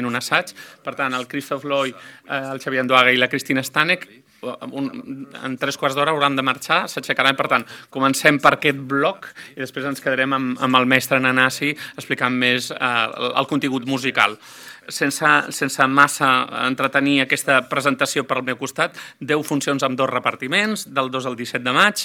un assaig. Per tant, el Christoph Loy, el Xavier Anduaga i la Cristina Stanek en 3/4 d'hora hauran de marxar, s'aixecaran. Per tant, comencem per aquest bloc i després ens quedarem amb el mestre Nanasi explicant més el contingut musical. Sense massa entretenir aquesta presentació per al meu costat, 10 funcions amb 2 repartiments, del 2 al 17 de maig,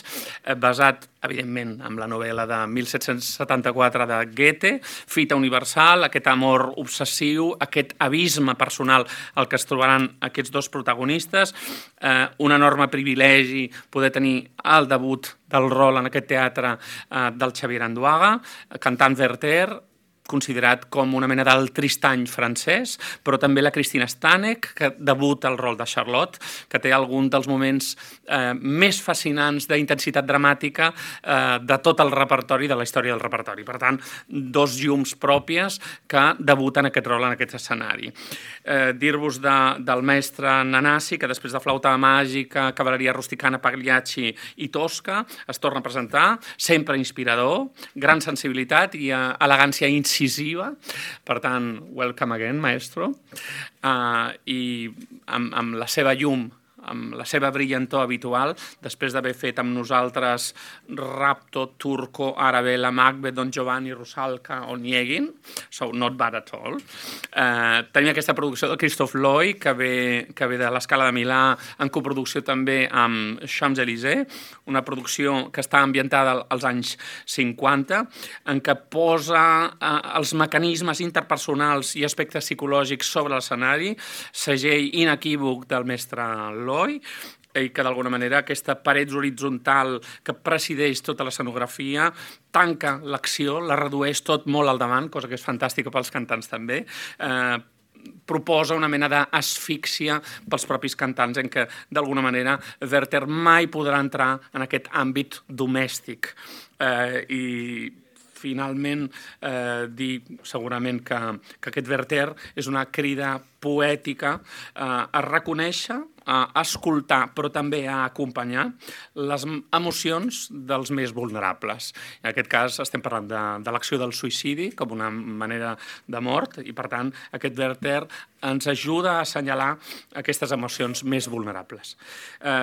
basat, evidentment, en la novel·la de 1774 de Goethe, Fita universal, aquest amor obsessiu, aquest abisme personal al que es trobaran aquests 2 protagonistes, un enorme privilegi poder tenir el debut del rol en aquest teatre del Xavier Anduaga, cantant Werther, considerat com una mena del Tristany francès, però també la Cristina Stanek, que debuta el rol de Charlotte, que té algun dels moments més fascinants d'intensitat dramàtica de tot el repertori, de la història del repertori. Per tant, 2 llums pròpies que debuten aquest rol en aquest escenari. Dir-vos del mestre Nanasi, que després de Flauta màgica, Cavalleria rusticana, Pagliacci i Tosca, es torna a presentar, sempre inspirador, gran sensibilitat i elegància incisiva. Per tant, welcome again, maestro. I amb la seva llum, amb la seva brillantor habitual, després d'haver fet amb nosaltres Rapto, Turco, Arabella, Macbeth, Don Giovanni, Rusalka o Niegin, so not bad at all. Tenim aquesta producció de Christoph Loy, que ve de l'Escala de Milà, en coproducció també amb Champs-Élysées, una producció que està ambientada als anys 50, en què posa els mecanismes interpersonals i aspectes psicològics sobre l'escenari, segell inequívoc del mestre Loy, i que d'alguna manera aquesta paret horitzontal que presideix tota l'escenografia tanca l'acció, la redueix tot molt al davant, cosa que és fantàstica pels cantants també, proposa una mena d'asfíxia pels propis cantants en què, d'alguna manera, Werther mai podrà entrar en aquest àmbit domèstic. I finalment dir segurament que aquest Werther és una crida poètica a reconèixer, a escoltar, però també a acompanyar les emocions dels més vulnerables. En aquest cas estem parlant de l'acció del suïcidi com una manera de mort i, per tant, aquest Werther ens ajuda a assenyalar aquestes emocions més vulnerables.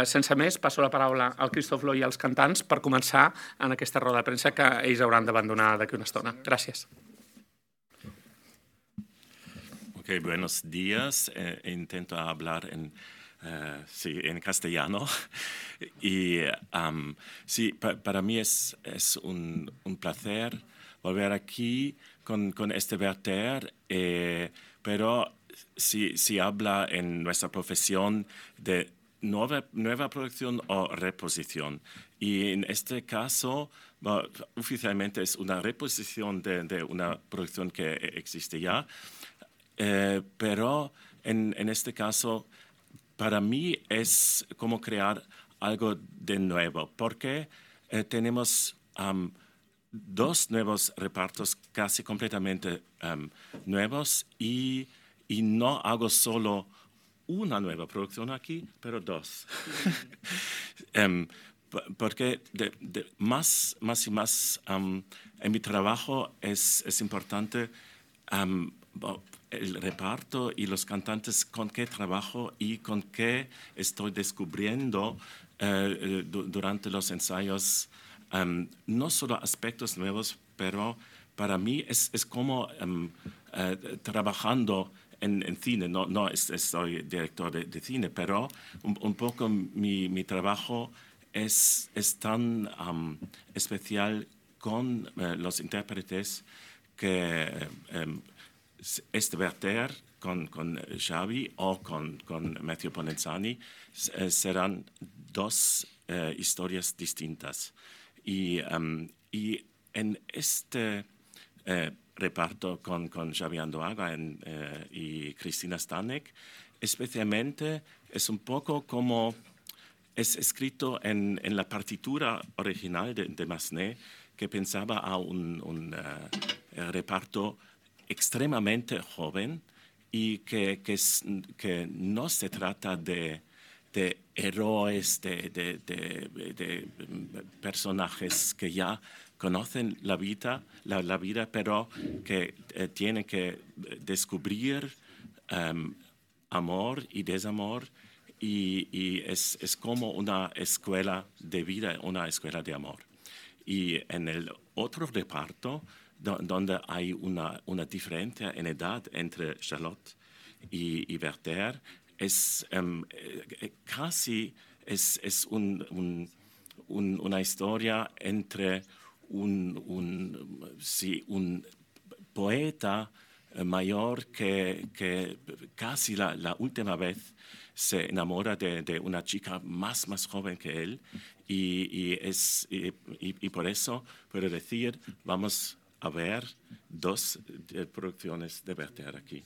Sense més, passo la paraula al Christoph Loy i als cantants per començar en aquesta roda de premsa que ells hauran d'abandonar d'aquí una estona. Gràcies. Ok, buenos días. Intento hablar en castellano. Y sí, para mí es un placer volver aquí con este Werther, pero si habla en nuestra profesión de nueva producción o reposición. Y en este caso, oficialmente es una reposición de una producción que existe ya, pero en este caso, para mí es como crear algo de nuevo, porque tenemos 2 nuevos repartos casi completamente nuevos y no hago solo una nueva producción aquí, pero 2. Porque más y más en mi trabajo es importante el reparto y los cantantes con qué trabajo y con qué estoy descubriendo durante los ensayos, no solo aspectos nuevos, pero para mí es como trabajando en cine. No soy director de cine, pero un poco mi trabajo es tan especial con los intérpretes que este Werther con Xavi o con Matthew Ponenzani serán 2 historias distintas. Y en este reparto con Xavi Anduaga y Cristina Stanek, especialmente es un poco como es escrito en la partitura original de Massenet, que pensaba a un reparto extremadamente joven y que no se trata de héroes, de personajes que ya conocen la vida, pero que tienen que descubrir amor y desamor, y es como una escuela de vida, una escuela de amor. Y en el otro reparto, donde hay una diferencia en edad entre Charlotte y Werther, es casi es una historia entre un poeta mayor que casi la última vez se enamora de una chica más joven que él, y por eso puedo decir, vamos a ver dos producciones de Werther aquí.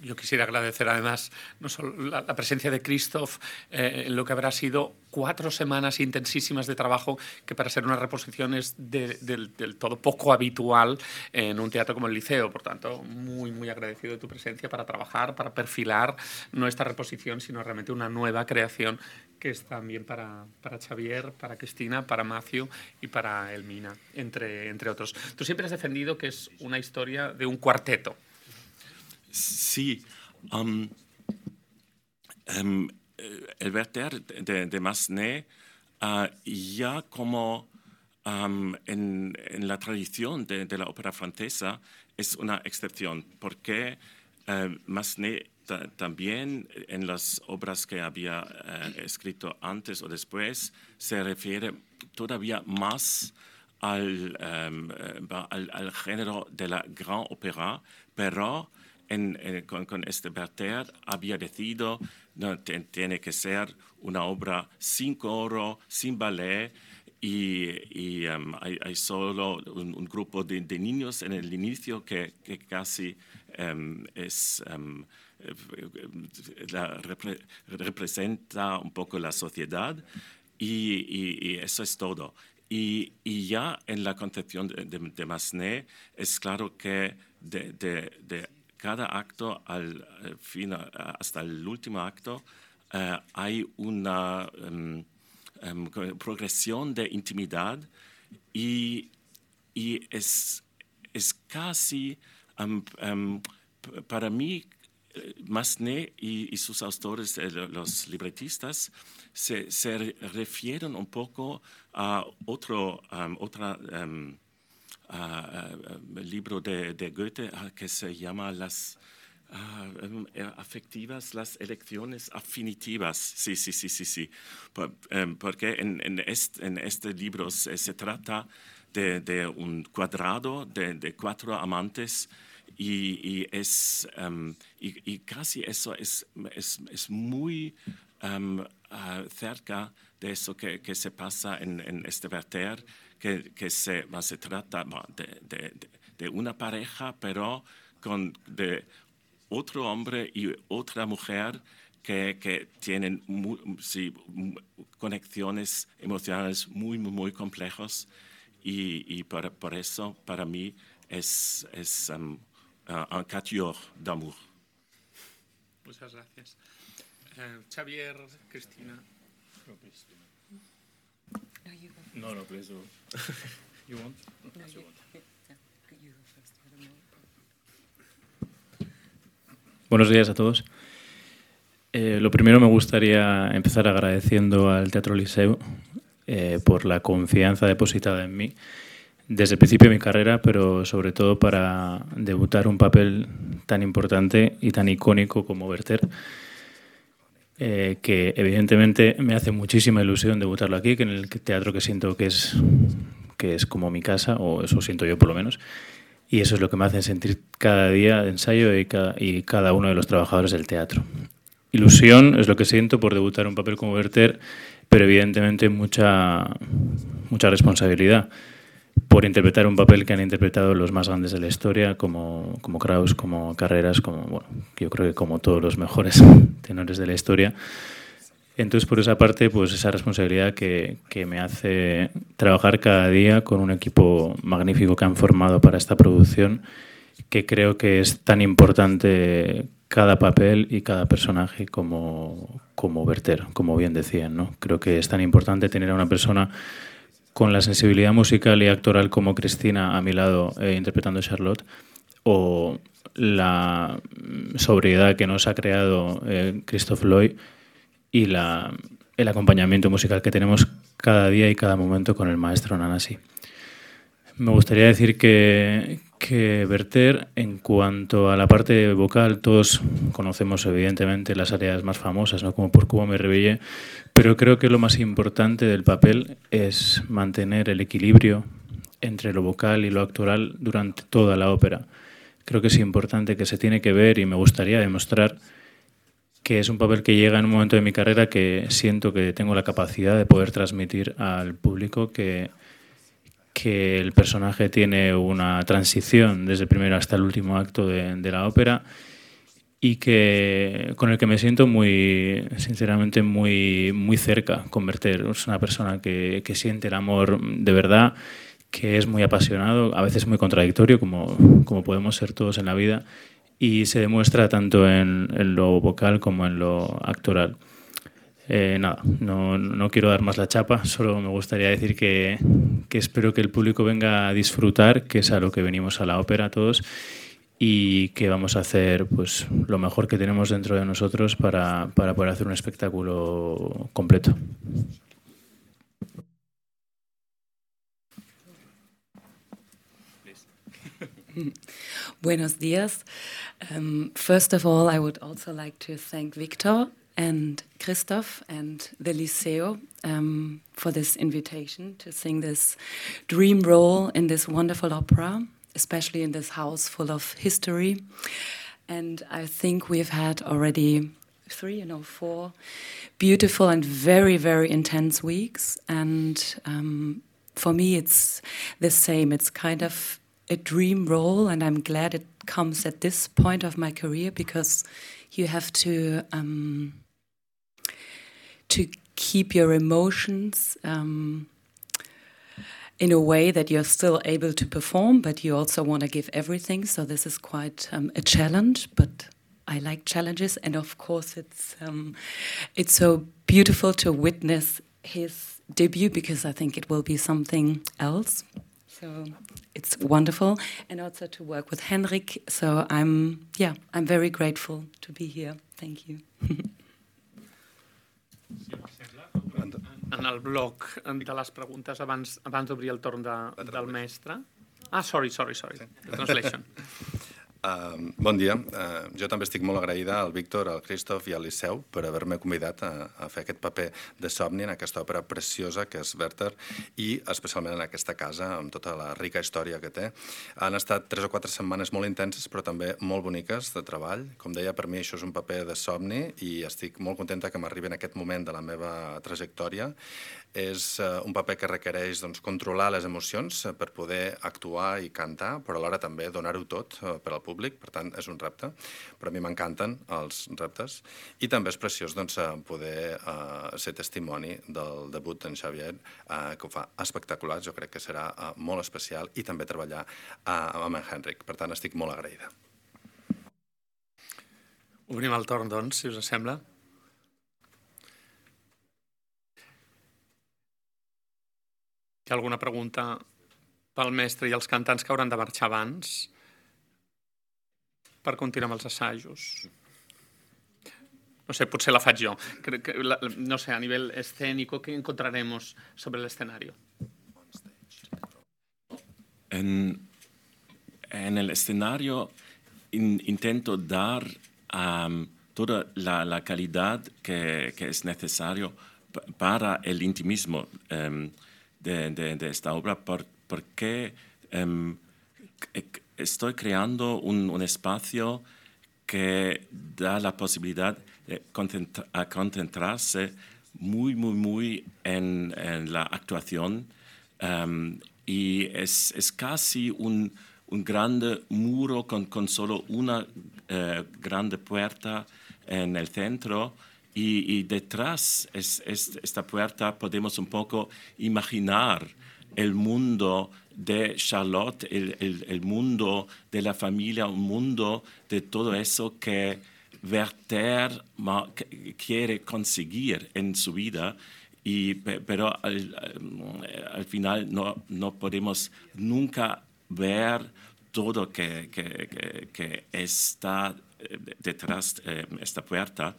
Yo quisiera agradecer además no solo la presencia de Christoph en lo que habrá sido 4 semanas intensísimas de trabajo, que para ser una reposición es del todo poco habitual en un teatro como el Liceo. Por tanto, muy agradecido de tu presencia para trabajar, para perfilar no esta reposición, sino realmente una nueva creación que es también para Xavier, para Cristina, para Matthew y para Elmina, entre otros. Tú siempre has defendido que es una historia de un cuarteto. Sí, el Werther de Massenet, ya como en la tradición de la ópera francesa, es una excepción, porque Massenet también en las obras que había escrito antes o después se refiere todavía más al género de la gran ópera, pero con este Werther había decidido no, tiene que ser una obra sin coro, sin ballet, y hay solo un grupo de niños en el inicio que casi representa un poco la sociedad, y eso es todo. Y ya en la concepción de Massenet es claro que de cada acto al final, hasta el último acto, hay una progresión de intimidad, y es casi, para mí, Massenet y sus autores, los libretistas, se refieren un poco a otro libro de Goethe que se llama las afectivas, las elecciones afinitivas. Sí. Porque en este libro se trata de un cuadrado de 4 amantes, y casi eso es muy cerca de eso que se pasa en este Werther, que se trata de una pareja, pero de otro hombre y otra mujer que tienen conexiones emocionales muy complejas, y por eso para mí es un quatuor d'amour. Muchas gracias. Xavier, Cristina. No, please. You want? No, you go first. Buenos días a todos. Lo primero, me gustaría empezar agradeciendo al Teatro Liceu por la confianza depositada en mí desde el principio de mi carrera, pero sobre todo para debutar un papel tan importante y tan icónico como Werther, que evidentemente me hace muchísima ilusión debutarlo aquí, que en el teatro que siento que es como mi casa, o eso siento yo por lo menos, y eso es lo que me hace sentir cada día de ensayo y cada uno de los trabajadores del teatro. Ilusión es lo que siento por debutar un papel como Werther, pero evidentemente mucha responsabilidad por interpretar un papel que han interpretado los más grandes de la historia, como Krauss, como Carreras, yo creo que como todos los mejores tenores de la historia. Entonces, por esa parte, pues esa responsabilidad que me hace trabajar cada día con un equipo magnífico que han formado para esta producción, que creo que es tan importante cada papel y cada personaje como Werther, como bien decían, ¿no? Creo que es tan importante tener a una persona con la sensibilidad musical y actoral como Cristina a mi lado interpretando a Charlotte, o la sobriedad que nos ha creado Christoph Loy y el acompañamiento musical que tenemos cada día y cada momento con el maestro Nanasi. Me gustaría decir que Werther, en cuanto a la parte vocal, todos conocemos evidentemente las áreas más famosas, ¿no? Como Por Cubo me rebellé, pero creo que lo más importante del papel es mantener el equilibrio entre lo vocal y lo actoral durante toda la ópera. Creo que es importante, que se tiene que ver, y me gustaría demostrar que es un papel que llega en un momento de mi carrera que siento que tengo la capacidad de poder transmitir al público que el personaje tiene una transición desde el primero hasta el último acto de la ópera y con el que me siento sinceramente muy cerca con Werther. Es una persona que siente el amor de verdad, que es muy apasionado, a veces muy contradictorio, como podemos ser todos en la vida, y se demuestra tanto en lo vocal como en lo actoral. No quiero dar más la chapa, solo me gustaría decir que espero que el público venga a disfrutar, que es a lo que venimos a la ópera todos, y que vamos a hacer pues lo mejor que tenemos dentro de nosotros para poder hacer un espectáculo completo. Buenos días. First of all, I would also like to thank Victor and Christoph and the Liceo for this invitation to sing this dream role in this wonderful opera, especially in this house full of history. And I think we've had already 4 beautiful and very, very intense weeks. And for me, it's the same. It's kind of a dream role, and I'm glad it comes at this point of my career, because you have to keep your emotions in a way that you're still able to perform, but you also want to give everything. So this is quite a challenge, but I like challenges. And of course, it's so beautiful to witness his debut, because I think it will be something else. So it's wonderful, and also to work with Henrik. So I'm very grateful to be here. Thank you. En el bloc de les preguntes, abans d'obrir el torn del mestre... Sorry. The translation. Bon dia. Jo també estic molt agraïda al Víctor, al Christoph i al Liceu per haver-me convidat a fer aquest paper de somni en aquesta òpera preciosa que és Werther, i especialment en aquesta casa, amb tota la rica història que té. Han estat 3 o 4 setmanes molt intenses, però també molt boniques de treball. Com deia, per mi això és un paper de somni i estic molt contenta que m'arribi en aquest moment de la meva trajectòria. És un paper que requereix controlar les emocions per poder actuar i cantar, però alhora també donar-ho tot per al públic. Per tant, és un repte. Però a mi m'encanten els reptes. I també és preciós poder ser testimoni del debut d'en Xavier, que ho fa espectacular. Jo crec que serà molt especial, i també treballar amb en Henrik. Per tant, estic molt agraïda. Obrim el torn, doncs, si us sembla. Hi ha alguna pregunta pel mestre i els cantants que hauran de marxar abans per continuar amb els assajos? No sé, potser la faig jo. No sé, a nivell escénico, ¿qué encontraremos sobre el escenario? En el escenario intento dar toda la calidad que es necesario para el intimismo de esta obra, porque estoy creando un espacio que da la posibilidad de concentrarse muy en la actuación, y es casi un grande muro con solo una grande puerta en el centro. Y detrás esta puerta podemos un poco imaginar el mundo de Charlotte, el mundo de la familia, un mundo de todo eso que Werther quiere conseguir en su vida, pero al final no podemos nunca ver todo que está detrás de esta puerta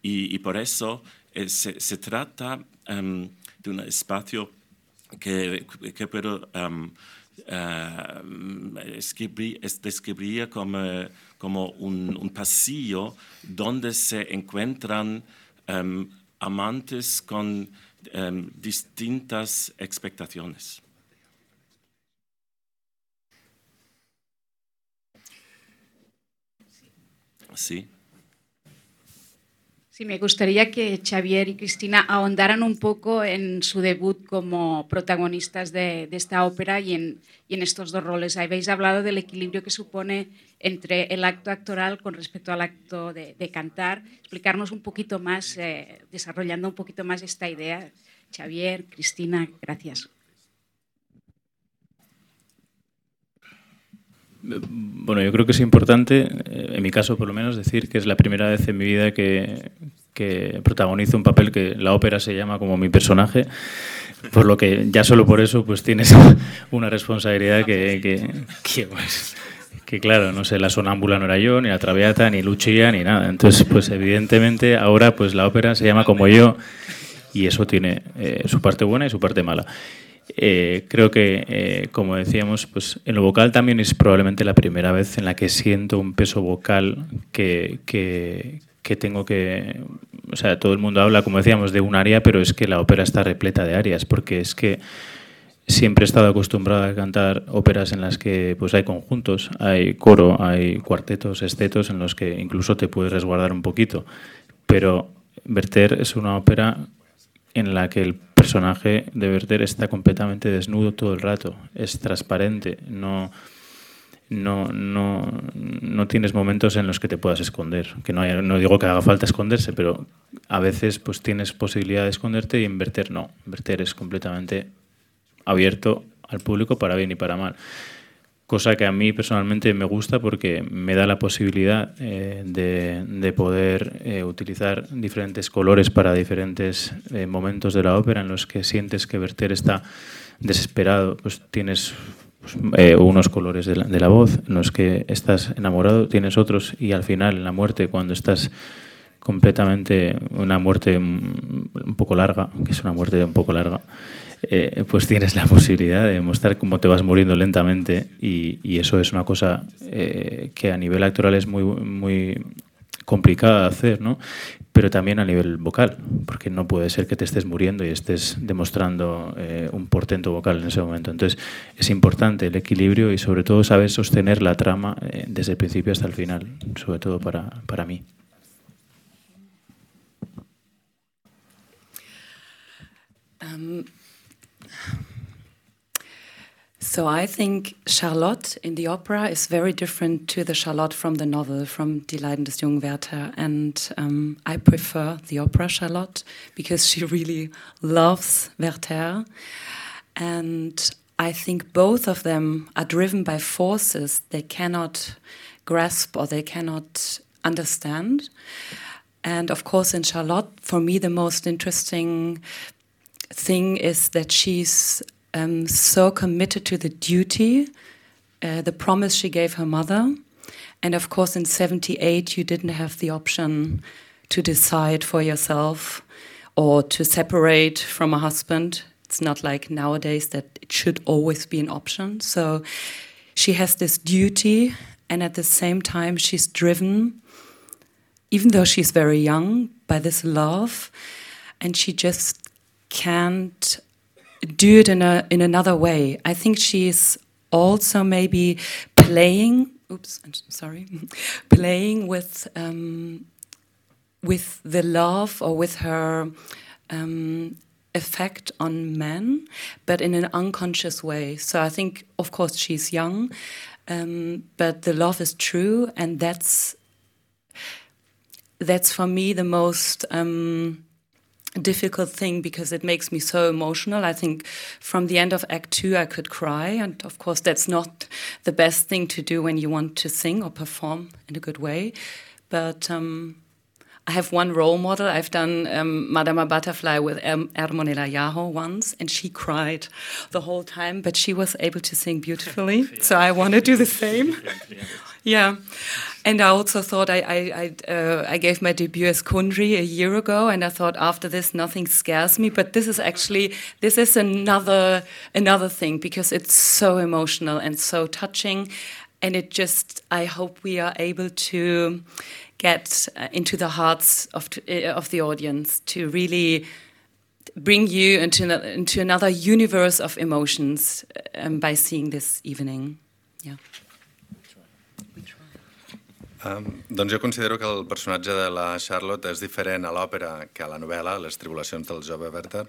y por eso se trata de un espacio que puedo describir como un pasillo donde se encuentran amantes con distintas expectaciones. Sí. Sí, me gustaría que Xavier y Cristina ahondaran un poco en su debut como protagonistas de esta ópera y en estos dos roles. Habéis hablado del equilibrio que supone entre el acto actoral con respecto al acto de cantar. Explicarnos un poquito más, desarrollando un poquito más esta idea. Xavier, Cristina, gracias. Bueno, yo creo que es importante, en mi caso por lo menos, decir que es la primera vez en mi vida que protagonizo un papel que la ópera se llama como mi personaje, por lo que ya solo por eso pues tienes una responsabilidad que claro, no sé, la sonámbula no era yo, ni la Traviata, ni Lucia, ni nada. Entonces, pues evidentemente ahora pues la ópera se llama como yo y eso tiene su parte buena y su parte mala. Creo que, como decíamos, pues en lo vocal también es probablemente la primera vez en la que siento un peso vocal que tengo que... O sea, todo el mundo habla, como decíamos, de un aria, pero es que la ópera está repleta de arias, porque es que siempre he estado acostumbrado a cantar óperas en las que pues hay conjuntos, hay coro, hay cuartetos, estetos, en los que incluso te puedes resguardar un poquito. Pero Werther es una ópera en la que el personaje de Werther está completamente desnudo todo el rato, es transparente, no tienes momentos en los que te puedas esconder, que no digo que haga falta esconderse, pero a veces pues tienes posibilidad de esconderte y en Werther no, Werther es completamente abierto al público para bien y para mal. Cosa que a mí personalmente me gusta porque me da la posibilidad de poder utilizar diferentes colores para diferentes momentos de la ópera en los que sientes que Werther está desesperado. Pues tienes unos colores de la voz, en los que estás enamorado, tienes otros, y al final, en la muerte, cuando estás completamente, una muerte un poco larga, que es una muerte un poco larga, pues tienes la posibilidad de mostrar cómo te vas muriendo lentamente y eso es una cosa que a nivel actoral es muy complicada de hacer, ¿no? Pero también a nivel vocal, porque no puede ser que te estés muriendo y estés demostrando un portento vocal en ese momento. Entonces es importante el equilibrio y sobre todo saber sostener la trama desde el principio hasta el final, sobre todo para mí. So I think Charlotte in the opera is very different to the Charlotte from the novel, from Die Leiden des jungen Werther. And I prefer the opera Charlotte because she really loves Werther. And I think both of them are driven by forces they cannot grasp or they cannot understand. And of course in Charlotte, for me, the most interesting thing is that she's so committed to the duty, the promise she gave her mother. And of course, in 1978, you didn't have the option to decide for yourself or to separate from a husband. It's not like nowadays that it should always be an option. So she has this duty, and at the same time, she's driven, even though she's very young, by this love, and she just can't do it in another way. I think she's also maybe playing with the love or with her effect on men, but in an unconscious way. So I think, of course, she's young, but the love is true, and that's for me the most difficult thing, because it makes me so emotional. I think from the end of Act 2 I could cry, and of course that's not the best thing to do when you want to sing or perform in a good way, but I have one role model. I've done Madama Butterfly with Ermon Elayaho once, and she cried the whole time, but she was able to sing beautifully. So I want to do the same. Yeah. And I also thought I gave my debut as Kundry a year ago, and I thought after this nothing scares me. But this is another thing, because it's so emotional and so touching, and I hope we are able to get into the hearts of the audience, to really bring you into another universe of emotions by seeing this evening. Yeah. Doncs jo considero que el personatge de la Charlotte és diferent a l'òpera que a la novel·la, Les tribulacions del jove Werther.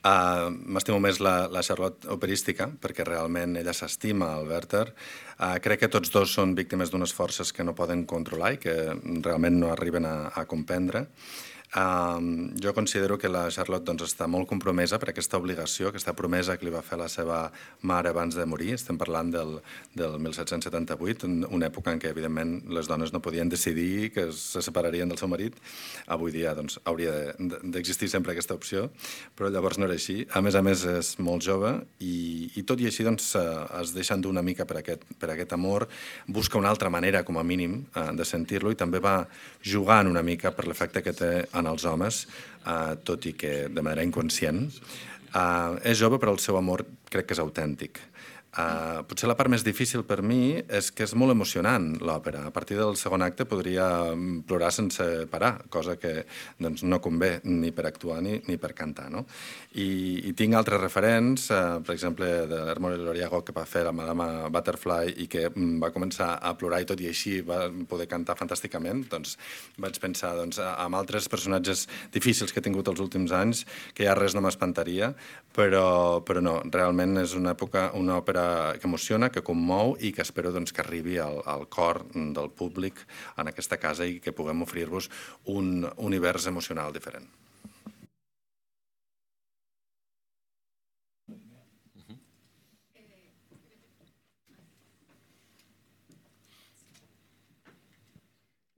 M'estimo més la Charlotte operística, perquè realment ella s'estima al Werther. Crec que tots dos són víctimes d'unes forces que no poden controlar i que realment no arriben a comprendre. Jo considero que la Charlotte doncs, està molt compromesa per aquesta obligació, aquesta promesa que li va fer la seva mare abans de morir. Estem parlant del 1778, una època en què, evidentment, les dones no podien decidir que se separarien del seu marit. Avui dia doncs, hauria d'existir sempre aquesta opció, però llavors no era així. A més, és molt jove i tot i així doncs, es deixa endur una mica per aquest amor, busca una altra manera, com a mínim, de sentir-lo, i també va jugant una mica per l'efecte que té en els homes, tot i que de manera inconscient. És jove, però el seu amor crec que és autèntic. Potser la part més difícil per mi és que és molt emocionant l'òpera. A partir del segon acte podria plorar sense parar, cosa que doncs, no convé ni per actuar ni per cantar. No? I tinc altres referents, per exemple, de l'Ermon Elayaho, que va fer la Madama Butterfly i que va començar a plorar i tot i així va poder cantar fantàsticament. Doncs vaig pensar en altres personatges difícils que he tingut els últims anys, que ja res no m'espantaria, però no, realment és una òpera que emociona, que commou i que espero que arribi al cor del públic en aquesta casa i que puguem oferir-vos un univers emocional diferent.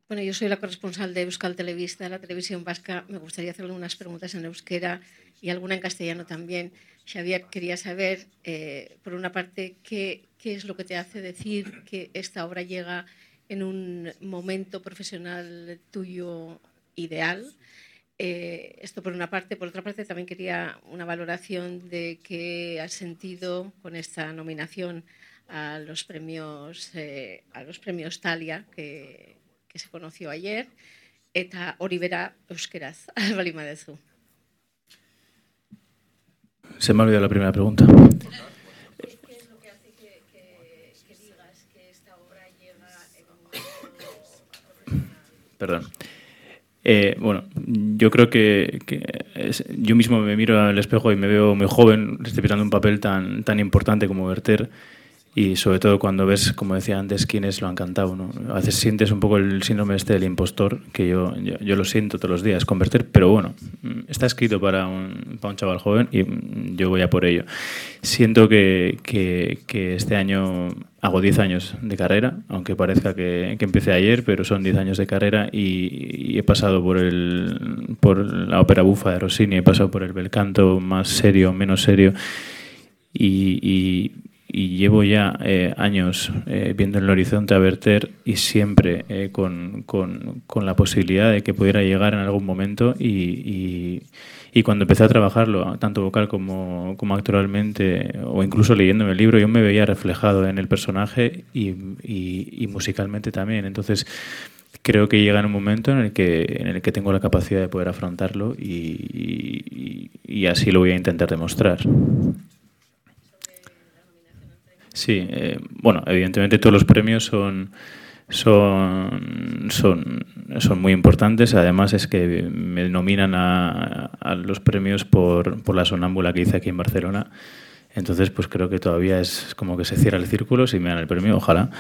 Bueno, yo soy la corresponsal de Euskal Telebista, la televisión vasca. Me gustaría hacerle unas preguntas en euskera y alguna en castellano también. Xavier, quería saber, por una parte, qué es lo que te hace decir que esta obra llega en un momento profesional tuyo ideal. Esto por una parte. Por otra parte, también quería una valoración de qué has sentido con esta nominación a los premios Thalia, que se conoció ayer, eta hori bera euskeraz, bali madezu. Se me ha olvidado la primera pregunta. ¿Qué es lo que hace que digas que esta obra llega en un momento profesional? Perdón. Bueno, yo creo que yo mismo me miro al espejo y me veo muy joven, interpretando un papel tan importante como Werther. Y sobre todo cuando ves, como decía antes, quiénes lo han cantado, ¿no? A veces sientes un poco el síndrome del impostor, que yo lo siento todos los días con Werther, pero bueno, está escrito para un chaval joven y yo voy a por ello. Siento que este año hago 10 años de carrera, aunque parezca que empecé ayer, pero son 10 años de carrera y he pasado por la ópera bufa de Rossini, he pasado por el bel canto más serio, menos serio, y llevo ya años viendo en el horizonte a Werther y siempre con la posibilidad de que pudiera llegar en algún momento y cuando empecé a trabajarlo, tanto vocal como actoralmente o incluso leyéndome el libro, yo me veía reflejado en el personaje y musicalmente también. Entonces creo que llega en un momento en el que tengo la capacidad de poder afrontarlo y así lo voy a intentar demostrar. Sí, bueno, evidentemente todos los premios son muy importantes. Además es que me nominan a los premios por la sonámbula que hice aquí en Barcelona. Entonces, pues creo que todavía es como que se cierra el círculo si me dan el premio, ojalá.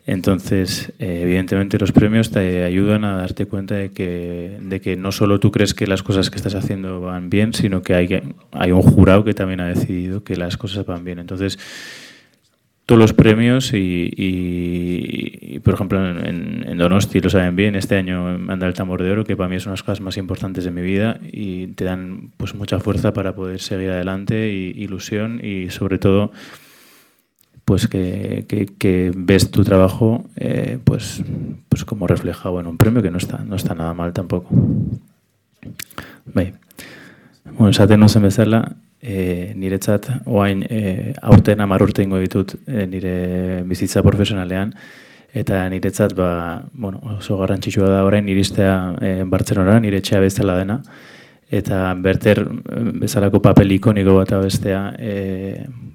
Entonces, evidentemente los premios te ayudan a darte cuenta de que no solo tú crees que las cosas que estás haciendo van bien, sino que hay un jurado que también ha decidido que las cosas van bien. Entonces, todos los premios y por ejemplo, en Donosti lo saben bien, este año anda el Tambor de Oro, que para mí es una de las cosas más importantes de mi vida y te dan pues mucha fuerza para poder seguir adelante y ilusión y sobre todo pues que ves tu trabajo pues como reflejado en un premio, que no está nada mal tampoco. Bai. Bueno, esaten nuzen bezala, niretzat oain aurten 10 urte ingo ditut nire bizitza profesionalean, eta niretzat oso garrantzitsua da orain iristea Bartzelonara, nire etxea bezala dena, eta Werther bezalako papel ikoniko bat bestea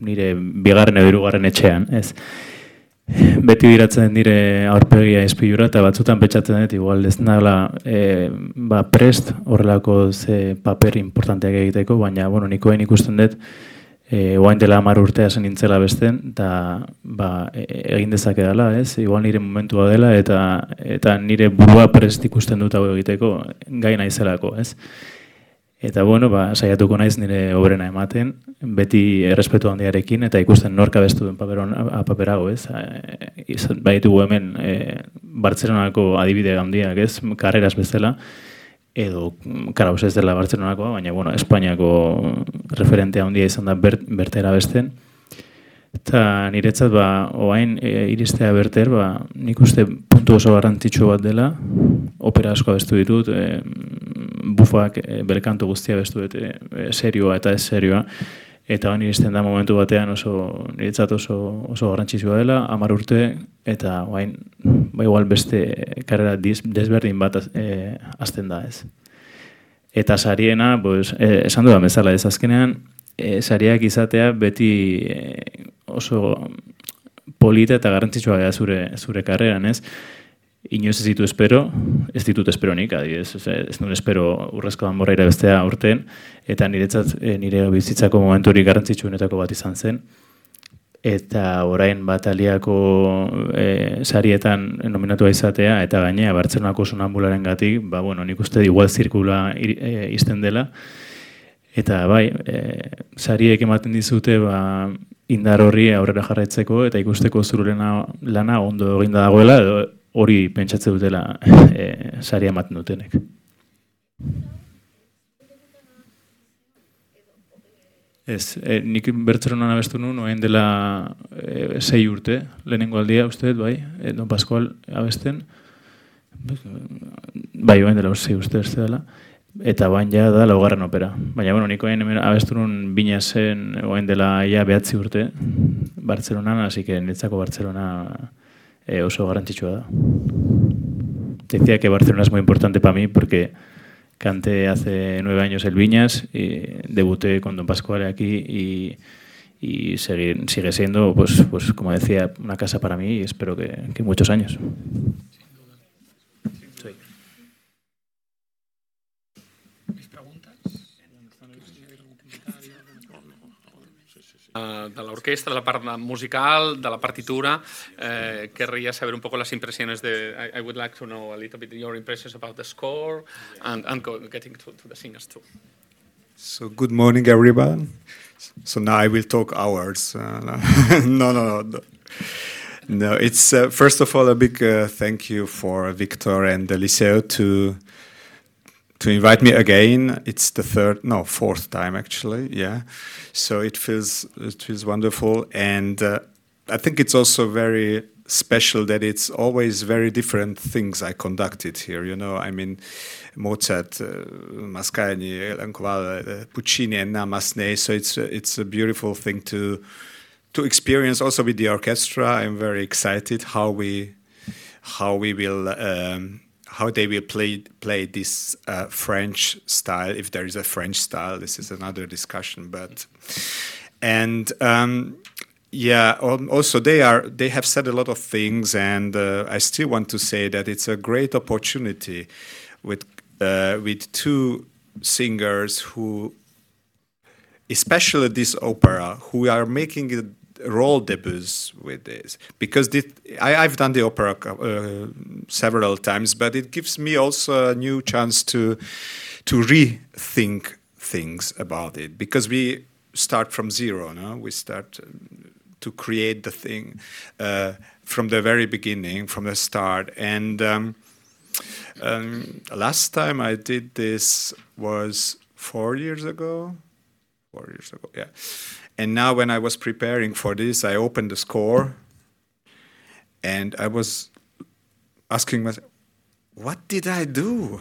nire bigarren edo hirugarren etxean, ez. Beti diratzen dire aurpegia izpilura eta batzutan petxatzen dut, igual ez nala prest horrelako ze paper importanteak egiteko, baina nikoen ikusten dut oain dela 10 urtea zen nintzela besten, eta egin dezake dela, ez? Igual nire momentua dela eta nire burua prest ikusten dut hau egiteko gai naizelako, ez? Eta saiatuko naiz nire obrena ematen, beti errespetu handiarekin, eta ikusten nork abestu duen paperago, ez? Baitugu hemen Bartzelonako adibide handiak, ez? Karreras bezala, edo karauz ez dela Bartzelonakoa, baina Espainiako referentea handia izan da Werther abesten. Eta niretzat oain iristea Werther, nik uste puntu oso garrantzitsu bat dela, opera asko abestu ditut, bufak belkantu guztia abestu dut, serioa eta ez serioa, eta iristen da momentu batean niretzat oso garrantzitsua dela, 10 urte, eta oain igual beste karrera desberdin bat azten da, ez. Eta sariena, esan dudan bezala ez azkenean, sariak izatea beti oso polita eta garrantzitsua gara zure karreran, ez? Inoiz ez ditut espero nik, adibidez, ez nuen espero Urrezko Danborra irabestea urten, eta niretzat nire bizitzako momenturik garrantzitsuenetako bat izan zen, eta orain Bataliako sarietan nominatua izatea, eta gainea Bartzelonako sonambularen gatik, nik uste igual zirkula izten dela, eta sariek ematen dizute indar horri aurrera jarraitzeko, eta ikusteko zure lana ondo eginda dagoela, edo hori pentsatze dutela saria ematen dutenek. Ez, nik Bartzelonan abestu nuen, oain dela 6 urte, lehenengo aldia uste, Don Pascual abesten, oain dela 6 urte beste dela, eta bain ja da laugarren opera. Baina, nik oain abestu nuen bina zen oain dela 9 urte Bartzelonan, así que niretzako Bartzelona oso garrantzitsua da. Te decía que Barcelona es muy importante para mí porque canté hace 9 años el Viñas, y debuté con Don Pascual aquí y sigue siendo, pues como decía, una casa para mí y espero que muchos años. De la orquesta, de la part musical, de la partitura. Querría saber un poco las impresiones I would like to know a little bit your impressions about the score and getting to the singers too. So good morning, everyone. So now I will talk hours. No, it's first of all a big thank you for Victor and the Liceo to invite me again. It's the fourth time actually, yeah. So it feels wonderful, and I think it's also very special that it's always very different things I conducted here. I mean, Mozart, Mascagni, Puccini, and now Massenet. So it's a beautiful thing to experience also with the orchestra. I'm very excited how they will play this French style, if there is a French style. This is another discussion, also they have said a lot of things, and I still want to say that it's a great opportunity with 2 singers who, especially this opera, who are making role debuts with this, because I've done the opera several times, but it gives me also a new chance to rethink things about it, because we start from zero. No, we start to create the thing from the very beginning, from the start. And last time I did this was 4 years ago. 4 years ago, yeah. And now when I was preparing for this, I opened the score and I was asking myself, what did I do?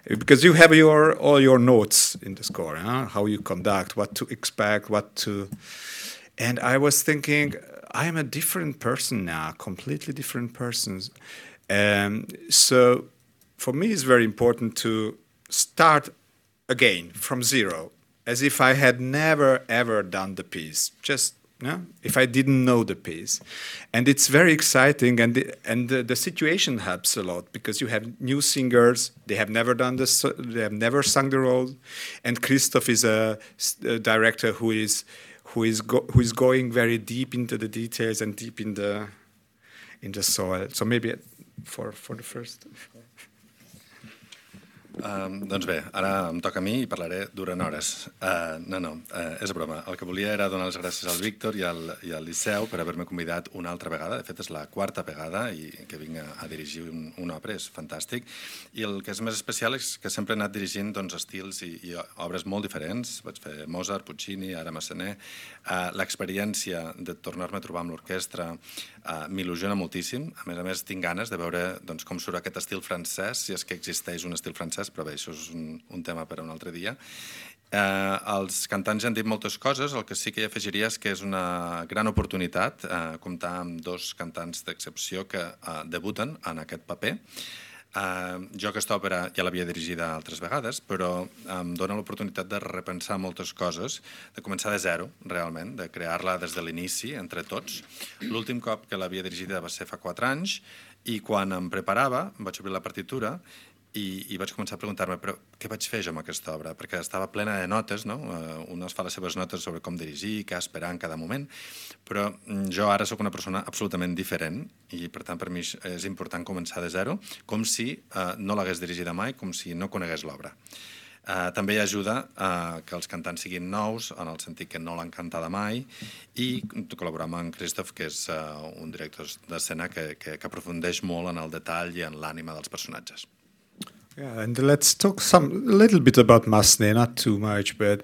Because you have all your notes in the score, huh? How you conduct, what to expect, and I was thinking, I am a different person now, completely different person. So for me, it's very important to start again from zero, as if I had never, ever done the piece, just if I didn't know the piece. And it's very exciting, and the situation helps a lot, because you have new singers, they have never done this, they have never sung the role, and Christoph is a director who is going very deep into the details and deep in the soil. So maybe for the first... Doncs bé, ara em toca a mi i parlaré durant hores. És broma. El que volia era donar les gràcies al Víctor i al Liceu per haver-me convidat una altra vegada. De fet, és la quarta vegada i que vinc a dirigir una òpera, és fantàstic. I el que és més especial és que sempre he anat dirigint estils i obres molt diferents. Vaig fer Mozart, Puccini, ara Massenet. L'experiència de tornar-me a trobar amb l'orquestra m'il·lusiona moltíssim. A més, tinc ganes de veure com surt aquest estil francès, si és que existeix un estil francès, però bé, això és un tema per a un altre dia. Els cantants ja han dit moltes coses, el que sí que hi afegiria és que és una gran oportunitat comptar amb dos cantants d'excepció que debuten en aquest paper. Jo aquesta òpera ja l'havia dirigida altres vegades, però em dona l'oportunitat de repensar moltes coses, de començar de zero, realment, de crear-la des de l'inici, entre tots. L'últim cop que l'havia dirigida va ser fa 4 anys, i quan em preparava, vaig obrir la partitura i vaig començar a preguntar-me, però què vaig fer jo amb aquesta obra? Perquè estava plena de notes, no? Un es fa les seves notes sobre com dirigir, què esperar en cada moment, però jo ara sóc una persona absolutament diferent i, per tant, per mi és important començar de zero, com si no l'hagués dirigida mai, com si no conegués l'obra. També hi ajuda que els cantants siguin nous, en el sentit que no l'han cantada mai, i col·laborar amb en Christoph, que és un director d'escena que aprofundeix molt en el detall i en l'ànima dels personatges. Yeah, and let's talk a little bit about Massenet, not too much, but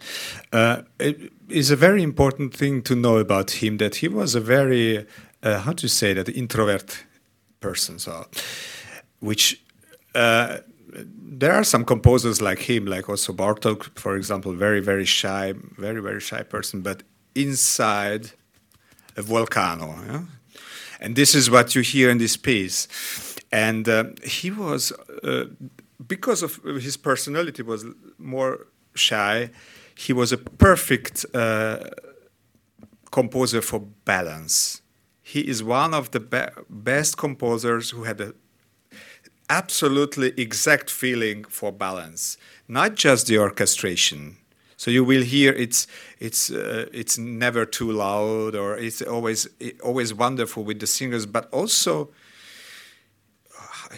it is a very important thing to know about him, that he was a very, how to say that, introvert person. So, which there are some composers like him, like also Bartók, for example, very, very shy person, but inside a volcano. Yeah? And this is what you hear in this piece. And he was... because of his personality was more shy, he was a perfect composer for balance. He is one of the best composers who had an absolutely exact feeling for balance, not just the orchestration. So you will hear it's never too loud, or it's always wonderful with the singers, but also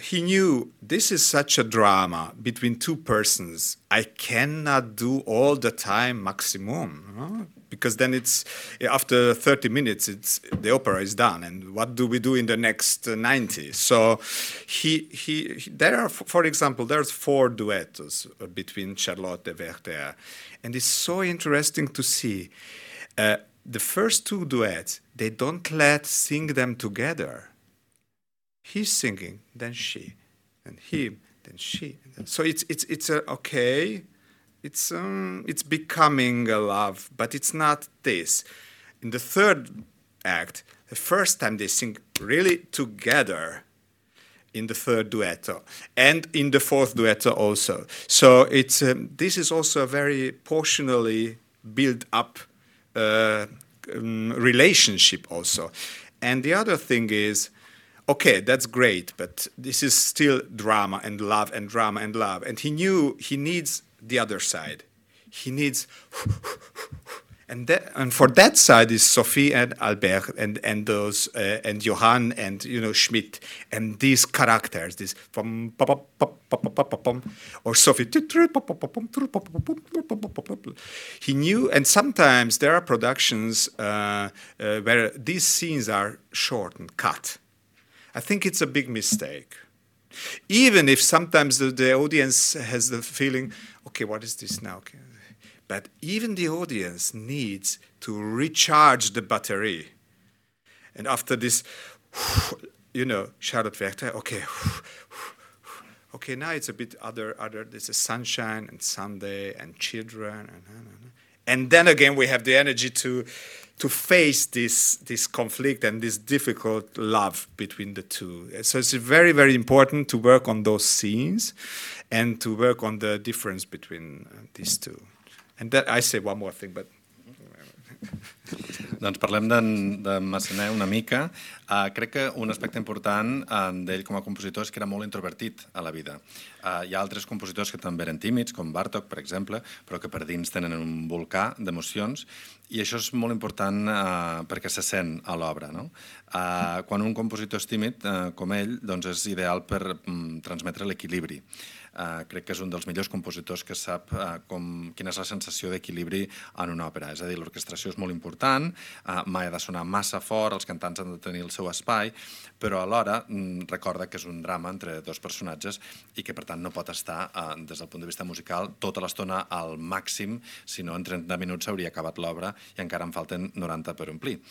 he knew this is such a drama between two persons. I cannot do all the time maximum, because then it's after 30 minutes the opera is done, and what do we do in the next 90? So there are, for example, there's 4 duets between Charlotte and Werther, and it's so interesting to see the first 2 duets. They don't sing them together. He's singing, then she, and him, then she. So it's okay. It's becoming a love, but it's not this. In the 3rd act, the first time they sing really together in the 3rd duetto, and in the 4th duetto also. So it's this is also a very portionally built up relationship also. And the other thing is, okay, that's great, but this is still drama and love and drama and love. And he knew he needs the other side. He needs, And for that side is Sophie and Albert and those and Johann and Schmidt and these characters, this or Sophie. He knew, and sometimes there are productions where these scenes are short and cut. I think it's a big mistake. Even if sometimes the audience has the feeling, okay, what is this now? Okay. But even the audience needs to recharge the battery. And after this, Charlotte Werther, okay, now it's a bit other. There's a sunshine and Sunday and children, and then again we have the energy to face this conflict and this difficult love between the two. So it's very, very important to work on those scenes and to work on the difference between these two. And that, I say one more thing, but... Doncs parlem de Massenet una mica. Crec que un aspecte important d'ell com a compositor és que era molt introvertit a la vida. Hi ha altres compositors que també eren tímids, com Bartók, per exemple, però que per dins tenen un volcà d'emocions, i això és molt important perquè se sent a l'obra. No? Quan un compositor és tímid, com ell, doncs és ideal per transmetre l'equilibri. Crec que és un dels millors compositors que sap quina és la sensació d'equilibri en una òpera. És a dir, l'orquestració és molt important, mai ha de sonar massa fort, els cantants han de tenir el seu espai, però alhora recorda que és un drama entre dos personatges i que, per tant, no pot estar, des del punt de vista musical, tota l'estona al màxim, si no en 30 minuts s'hauria acabat l'obra i encara en falten 90 per omplir.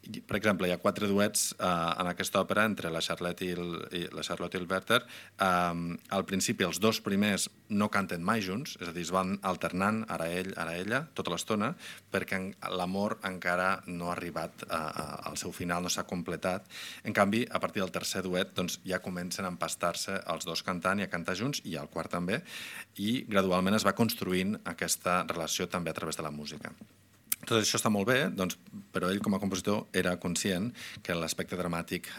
Per exemple, hi ha 4 duets en aquesta òpera entre la Charlotte i el Werther. Al principi, els 2 primers no canten mai junts, és a dir, es van alternant, ara ell, ara ella, tota l'estona, perquè l'amor encara no ha arribat al seu final, no s'ha completat. En canvi, a partir del tercer duet, doncs, ja comencen a empastar-se els 2 cantant i a cantar junts, i el quart també, i gradualment es va construint aquesta relació també a través de la música. Tot això està molt bé, doncs, però ell com a compositor era conscient que l'aspecte dramàtic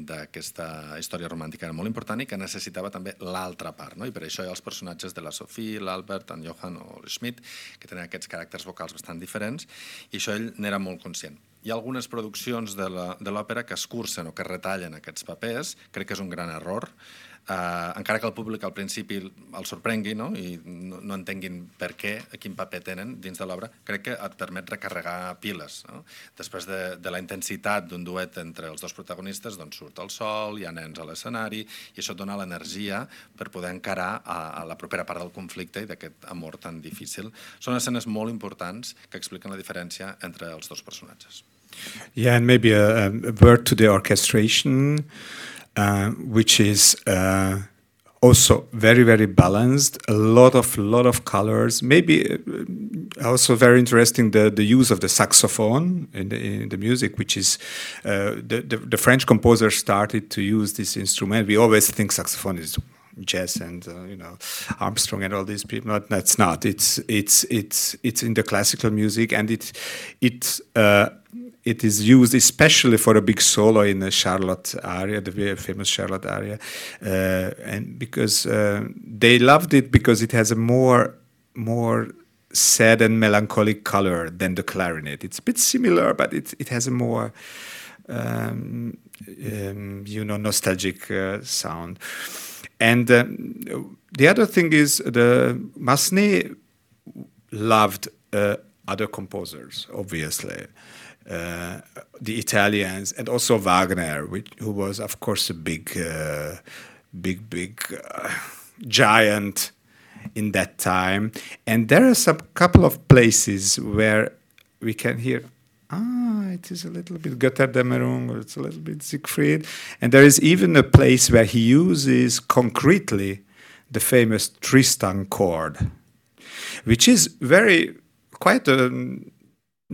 d'aquesta història romàntica era molt important i que necessitava també l'altra part, no? I per això hi ha els personatges de la Sophie, l'Albert, en Johann o l'Schmidt, que tenen aquests caràcters vocals bastant diferents, i això ell n'era molt conscient. Hi ha algunes produccions de l'òpera que escurcen o que retallen aquests papers, crec que és un gran error, encara que el públic al principi el sorprengui, no? I no entenguin per què, quin paper tenen dins de l'obra, crec que et permet recarregar piles. No? Després de la intensitat d'un duet entre els 2 protagonistes, doncs surt el sol, hi ha nens a l'escenari, i això et dona l'energia per poder encarar a la propera part del conflicte i d'aquest amor tan difícil. Són escenes molt importants que expliquen la diferència entre els 2 personatges. Yeah, and maybe a word to the orchestration. Which is also very, very balanced. A lot of colors. Maybe also very interesting the use of the saxophone in the music, which is the French composer started to use this instrument. We always think saxophone is jazz and Armstrong and all these people. No, that's not. It's in the classical music, and it is used especially for a big solo in the Charlotte aria, the very famous Charlotte aria, and because they loved it because it has a more sad and melancholic color than the clarinet. It's a bit similar, but it has a more nostalgic sound. And the other thing is Massenet loved other composers, obviously. The Italians, and also Wagner, who was, of course, a big giant in that time. And there are some couple of places where we can hear, it is a little bit Götterdämmerung, or it's a little bit Siegfried. And there is even a place where he uses concretely the famous Tristan chord, which is quite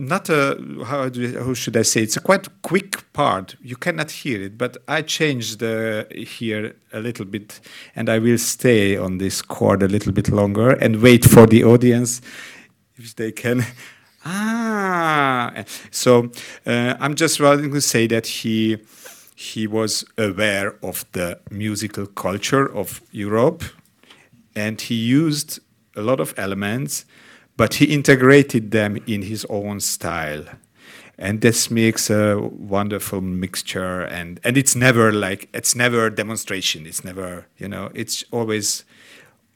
how should I say? It's a quite quick part. You cannot hear it, but I changed here a little bit, and I will stay on this chord a little bit longer and wait for the audience if they can. So I'm just wanting to say that he was aware of the musical culture of Europe, and he used a lot of elements. but he integrated them in his own style. And this makes a wonderful mixture, and it's never demonstration. It's never, it's always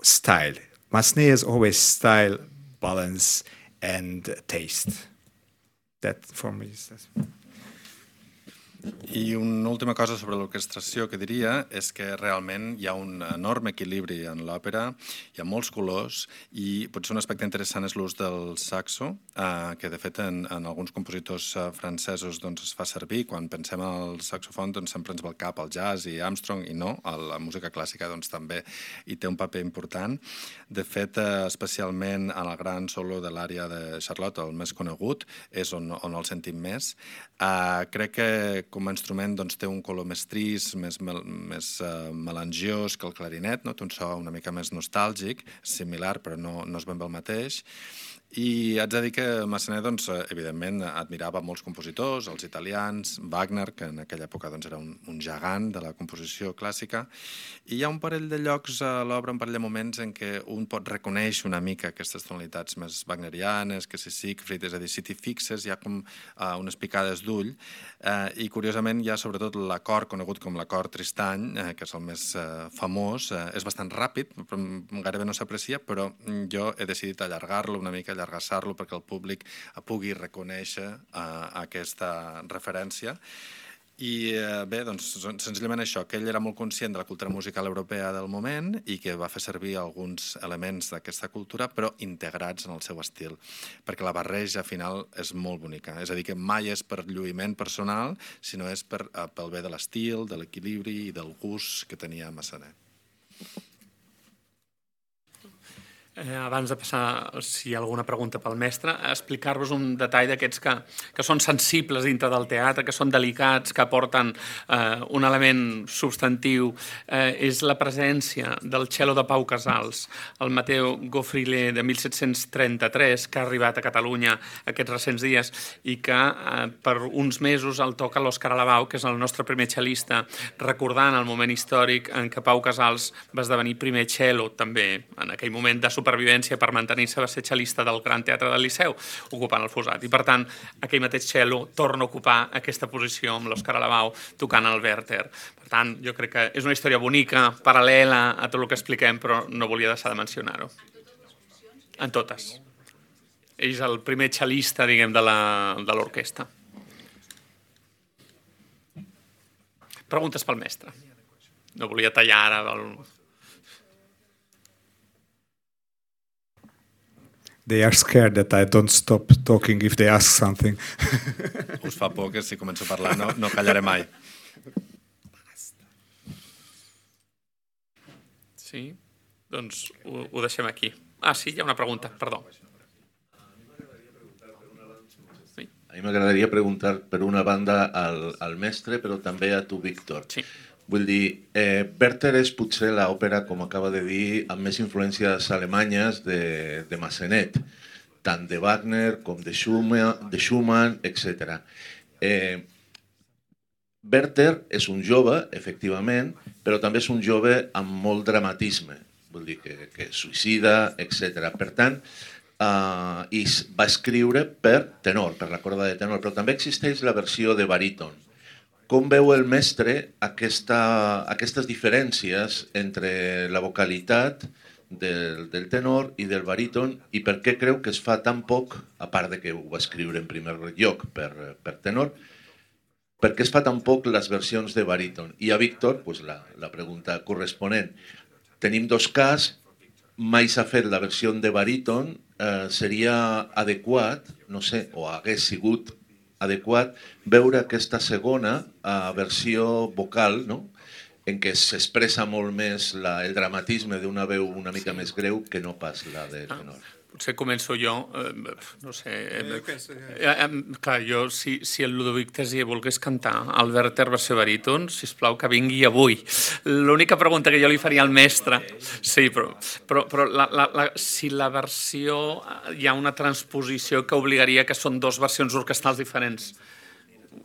style. Massenet is always style, balance, and taste. That for me is... I una última cosa sobre l'orquestració que diria és que realment hi ha un enorme equilibri en l'òpera, hi ha molts colors i potser un aspecte interessant és l'ús del saxo, que de fet en alguns compositors francesos es fa servir. Quan pensem en el saxofon sempre ens va al cap el jazz i Armstrong, i no, la música clàssica també hi té un paper important. De fet, especialment en el gran solo de l'ària de Charlotte, el més conegut, és on el sentim més. Crec que com a instrument té un color més trist, més melangiós que el clarinet, té un so una mica més nostàlgic, similar però no és ben bé el mateix. I haig de dir que Massenet, evidentment, admirava molts compositors, els italians, Wagner, que en aquella època era un gegant de la composició clàssica, i hi ha un parell de llocs a l'obra, un parell de moments en què un pot reconèixer una mica aquestes tonalitats més wagnerianes, que si Siegfried, és a dir, si t'hi fixes, hi ha com unes picades d'ull, i curiosament hi ha sobretot l'acord conegut com l'acord Tristany, que és el més famós, és bastant ràpid, gairebé no s'aprecia, però jo he decidit allargar-lo una mica, allargassar-lo perquè el públic pugui reconèixer aquesta referència. I bé, senzillament això, que ell era molt conscient de la cultura musical europea del moment i que va fer servir alguns elements d'aquesta cultura, però integrats en el seu estil, perquè la barreja final és molt bonica. És a dir, que mai és per lluïment personal, sinó és pel bé de l'estil, de l'equilibri i del gust que tenia Massenet. Abans de passar, si hi ha alguna pregunta pel mestre, explicar-vos un detall d'aquests que són sensibles dintre del teatre, que són delicats, que aporten un element substantiu. És la presència del cello de Pau Casals, el Matteo Goffrile de 1733, que ha arribat a Catalunya aquests recents dies i que per uns mesos el toca l'Òscar Alabau, que és el nostre primer cel·lista, recordant el moment històric en què Pau Casals va esdevenir primer cello, també en aquell moment de supervivència per mantenir-se, va ser cel·lista del Gran Teatre del Liceu, ocupant el Fosat. I per tant, aquell mateix cello torna a ocupar aquesta posició amb l'Òscar Alabau tocant el Werther. Per tant, jo crec que és una història bonica, paral·lela a tot el que expliquem, però no volia deixar de mencionar-ho. En totes. Ell és el primer cel·lista, diguem, de l'orquestra. Preguntes pel mestre. No volia tallar ara... They are scared that I don't stop talking if they ask something. Us fa por que si començo a parlar no callaré mai. Sí? Doncs ho deixem aquí. Sí, hi ha una pregunta, perdó. A mi m'agradaria preguntar per una banda al mestre, però també a tu, Víctor. Sí. Vull dir, Werther és potser l'òpera, com acaba de dir, amb més influències alemanyes de Massenet, tant de Wagner com de Schumann, etc. Werther és un jove, efectivament, però també és un jove amb molt dramatisme, vull dir que suïcida, etc. Per tant, i va escriure per tenor, per la corda de tenor, però també existeix la versió de baríton. Com veu el mestre aquestes diferències entre la vocalitat del tenor i del baríton i per què creu que es fa tan poc, a part de que ho va escriure en primer lloc per tenor, per què es fa tan poc les versions de baríton? I a Víctor, la pregunta corresponent. Tenim dos casos, mai s'ha fet la versió de baríton, seria adequat, no sé, o hagués sigut adequat veure aquesta segona versió vocal, en què s'expressa molt més el dramatisme d'una veu una mica més greu que no pas la de tenor. Potser començo jo, no sé... Clar, jo, si el Ludovic Tessier volgués cantar el Werther versió baríton, sisplau, que vingui avui. L'única pregunta que jo li faria al mestre... Sí, però si la versió... Hi ha una transposició que obligaria que són dues versions orquestrals diferents.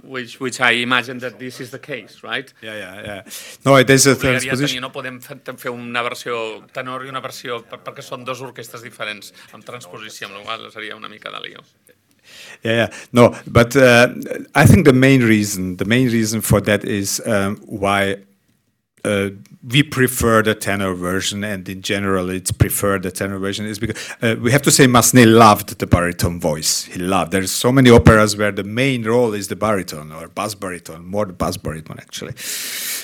which I imagine that this is the case, right? Yeah. No, there's a transposition. No podem fer una versió tenor i una versió perquè són dues orquestres diferents amb transposició, amb la qual cosa seria una mica de lío. Yeah. No, but I think the main reason for that is why we prefer the tenor version, and in general it's preferred the tenor version, is because we have to say Massenet loved the baritone voice. He loved. There's so many operas where the main role is the baritone or bass baritone, more the bass baritone actually,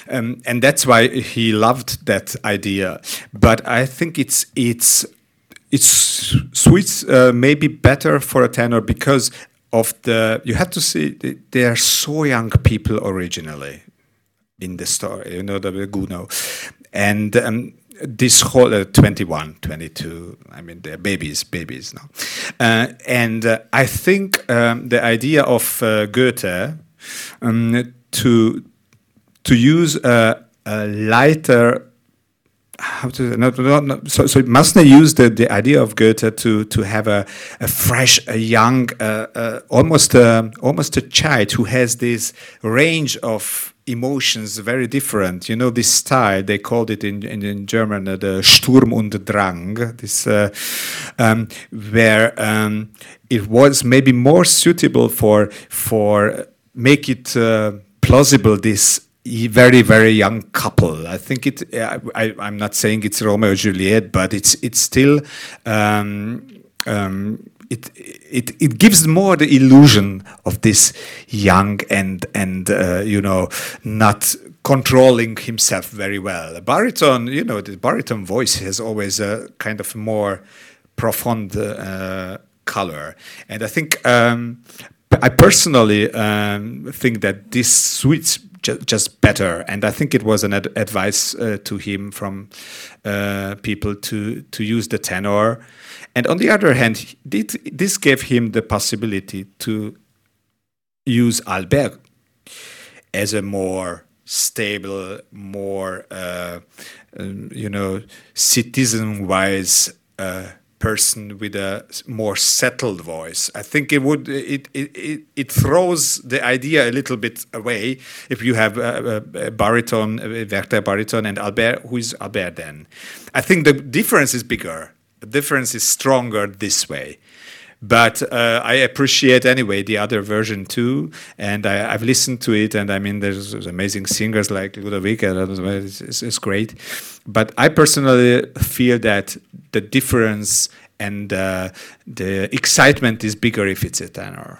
and that's why he loved that idea. But I think it's suits maybe better for a tenor because of you have to see they are so young people originally in the story, the Gounod. And this whole 21, 22, I mean, they're babies now. And I think the idea of Goethe to use a lighter, so Massenet used the idea of Goethe to have a fresh, a young, almost a child who has this range of emotions very different. This style, they called it in German the Sturm und Drang, this where it was maybe more suitable for make it plausible, this very, very young couple. I think I'm not saying it's Romeo and Juliet, but it's still it gives more the illusion of this young and not controlling himself very well. A baritone, the baritone voice has always a kind of more profound color, and I think I personally think that this suits just better, and I think it was an advice to him from people to use the tenor. And on the other hand, this gave him the possibility to use Albert as a more stable, more citizen-wise person with a more settled voice. I think it throws the idea a little bit away if you have a baritone, Werther baritone, and Albert, who is Albert then. I think the difference is bigger. The difference is stronger this way. But I appreciate anyway the other version too, and I've listened to it, and I mean there's amazing singers like Ludovic, it's great. But I personally feel that the difference and the excitement is bigger if it's a tenor.